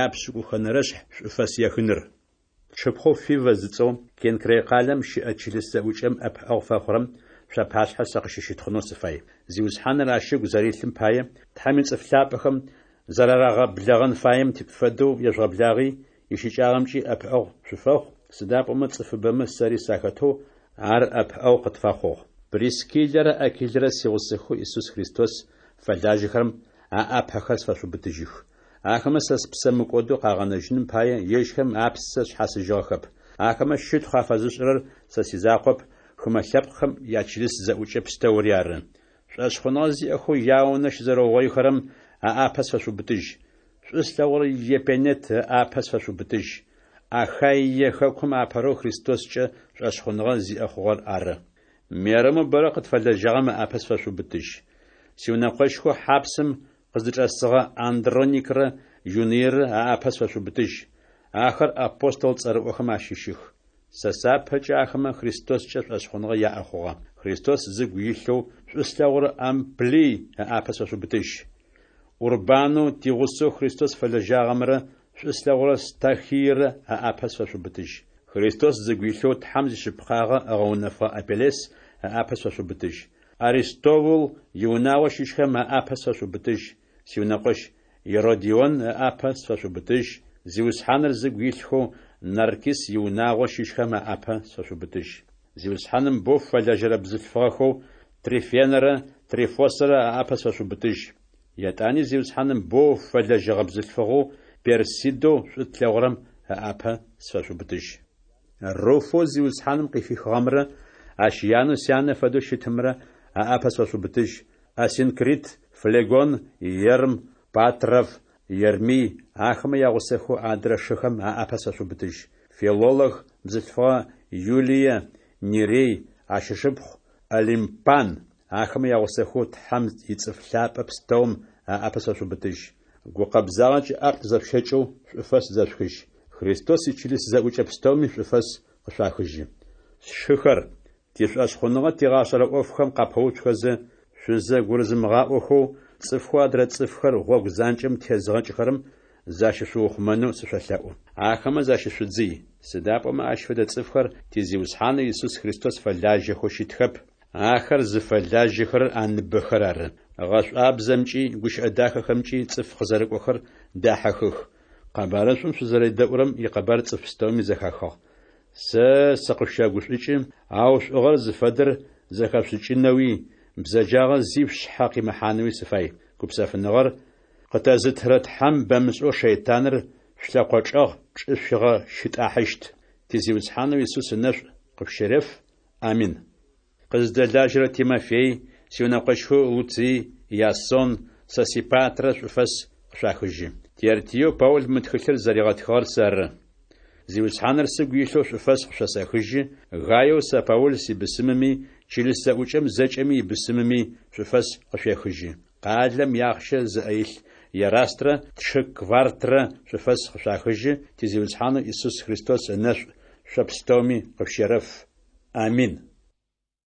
Япшӏыкӏухэнэрэшъхь шӏуфэс ехыныр. Тшыпхъоу Фивэ зыцӏэу, Кенкрей къалэм щыӏэ чылыс зэӏукӏэм ӏэпыӏэгъу фэхъурэм шъуапашъхьэ сэ къыщыщытхъунэу сыфай. Зиусхьаныр ащ ыгу зэрилъым пае, Тхьэм ицӏыф лъапӏэхэм зэрарагъэблэгъэн фаем фэдэу ежъугъэблагъи, ищыкӏагъэмкӏи ӏэпыӏэгъу шъуфэхъу, сыда пӏомэ цӏыфыбэмэ, сэри сахэтэу, ар ӏэпыӏэгъу къытфэхъугъ. Прискиллэрэ Акилэрэ сигъусэхэу Исус Христос фэлажьэхэрэм аӏапэхэр сфэшъубытыжьых. Ахэмэ сэ спсэ мыкӏодэу къагъэнэжьыным пае, ежьхэм апсэ шъхьасыжьыгъэхэп. Ахэмэ щытхъу афэзышӏырэр сэ сизакъоп, хымэ лъэпкъхэм ячылыс зэӏукӏэ пстэури ары. Шӏошъхъуныгъэ зиӏэхэу яунэ щызэрэугъоихэрэм аӏапэ сфэшъубытыжь. Шӏу слъэгъурэ Епенет ыӏапэ сфэшъубытыжь. Ахаие хэкум апэрэу Христоскӏэ шӏошъхъуныгъэ зиӏэ хъугъэр ары. Мерэмэу бэрэ къытфэлэжьагъэм ыӏапэ сфэшъубытыжь. Сиунэкъощхэу хьапсым къыздычӏэсыгъэ Андроникрэ Юныйрэ аӏапэ сфэшъубытыжь. Ахэр апостол цӏэрыӏохэм ащыщых. Сэ сапэкӏэ ахэмэ Христоскӏэ шӏошъхъуныгъэ яӏэ хъугъэ. Христос зыгу илъэу шӏу слъэгъурэ Амплий ыӏапэ сфэшъубытыжь. Урбанэу тигъусэу Христос фэлэжьагъэмрэ шӏу слъэгъурэ Стахийрэ аӏапэ сфэшъубытыжь. Христос зыгу илъэу Тхьэм зишъыпкъагъэ ыгъэунэфыгъэ Апеллес ыӏапэ сфэшъубытыжь. Аристовул иунагъо щыщхэм аӏапэ сфэшъубытыжь, сиунэкъощ Еродион ыӏапэ сфэшъубытыжь, Зиусхьаныр зыгу илъхэу Наркис иунагъо щыщхэм аӏапэ сфэшъубытыжь. Зиусхьаным боу фэлэжьэрэ бзылъфыгъэхэу Трифенэрэ Трифосэрэ аӏапэ сфэшъубытыжь. Етӏани Зиусхьаным боу фэлэжьэгъэ бзылъфыгъэу Персидэу шӏу тлъэгъурэм ыӏапэ сфэшъубытыжь. Руфэу Зиусхьаным къыхихыгъэмрэ ащ янэу сянэ фэдэу щытымрэ аӏапэ сфэшъубытыжь. Асинкрит, Флегон, Ерм, Патров, Ермий, ахэмэ ягъусэхэу адрэ шыхэм аӏапэ сфэшъубытыжь. Филолог бзылъфыгъэ Юлие, Нерей, ащ ышыпхъу Олимпан, ахэмэ ягъусэхэу Тхьэм ицӏыф лъапӏэ пстэум аӏапэ сфэшъубытыжь. Гукъэбзагъэкӏэ ӏаплӏ зэшъущэкӏэу шӏуфэс зэшъухыжь. Христос ичылыс зэӏукӏэ пстэуми шӏуфэс къышъуахыжьы. Сшыхэр, тишӏошъхъуныгъэ тигъашӏэрэ ӏофхэм къапэуцухэзэ, шъузэгурызымыгъаӏохэу, цӏыфхэу адрэ цӏыфхэр гъогу занкӏэм тезыгъэкӏыхэрэм защышъуухъумэнэу сышъолъэӏу. Ахэмэ защышъудзый. Сыда пӏомэ ащ фэдэ цӏыфхэр ти Зиусхьанэу Исус Христос фэлажьэхэу щытхэп, ахэр зыфэлажьэхэрэр аныбэхэр ары. Гъэшӏуабзэмкӏи гущыӏэ дахэхэмкӏи цӏыф къызэрыкӏохэр дахьыхых. Къэбарышӏум шъузэредэӏурэм икъэбар цӏыф пстэуми зэхахыгъ. Сэ сыкъышъущэгушӏукӏы, ау шӏугъэр зыфэдэр зэхэшъушӏыкӏынэуи, бзэджагъэ зи шъушъхьэ къимыхьанэуи сыфай. Гупсэфыныгъэр къытэзытырэ Тхьэм бэмышӏэу шэйтаныр шъулъэкъо чӏэгъ чӏышъуигъэщытӏахьыщт. Ти Зиусхьанэу Исус ынэшӏу къышъущереф. Амин. Къыздэлажьэрэ Тимофей, сиунэкъощхэу Луцый, Ясон, Сосипатрэ шӏуфэс къышъуахыжьы. Тертиеу Паул мы тхылъыр зэригъэтхыгъэр сэры. Зиусхьаныр сыгу илъэу шӏуфэс къышъосэхыжьы, Гаеу сэ Паул сибысымыми, чылыс зэӏукӏэм зэкӏэми ибысымыми шӏуфэс къышъуехыжьы. Къалэм иахъщэ зыӏэ илъ Ерастрэ тшы Квартрэ шӏуфэс къышъуахыжьы, ти Зиусхьанэу Исус Христос ынэшӏу шъо пстэуми къышъущерэф. Амин.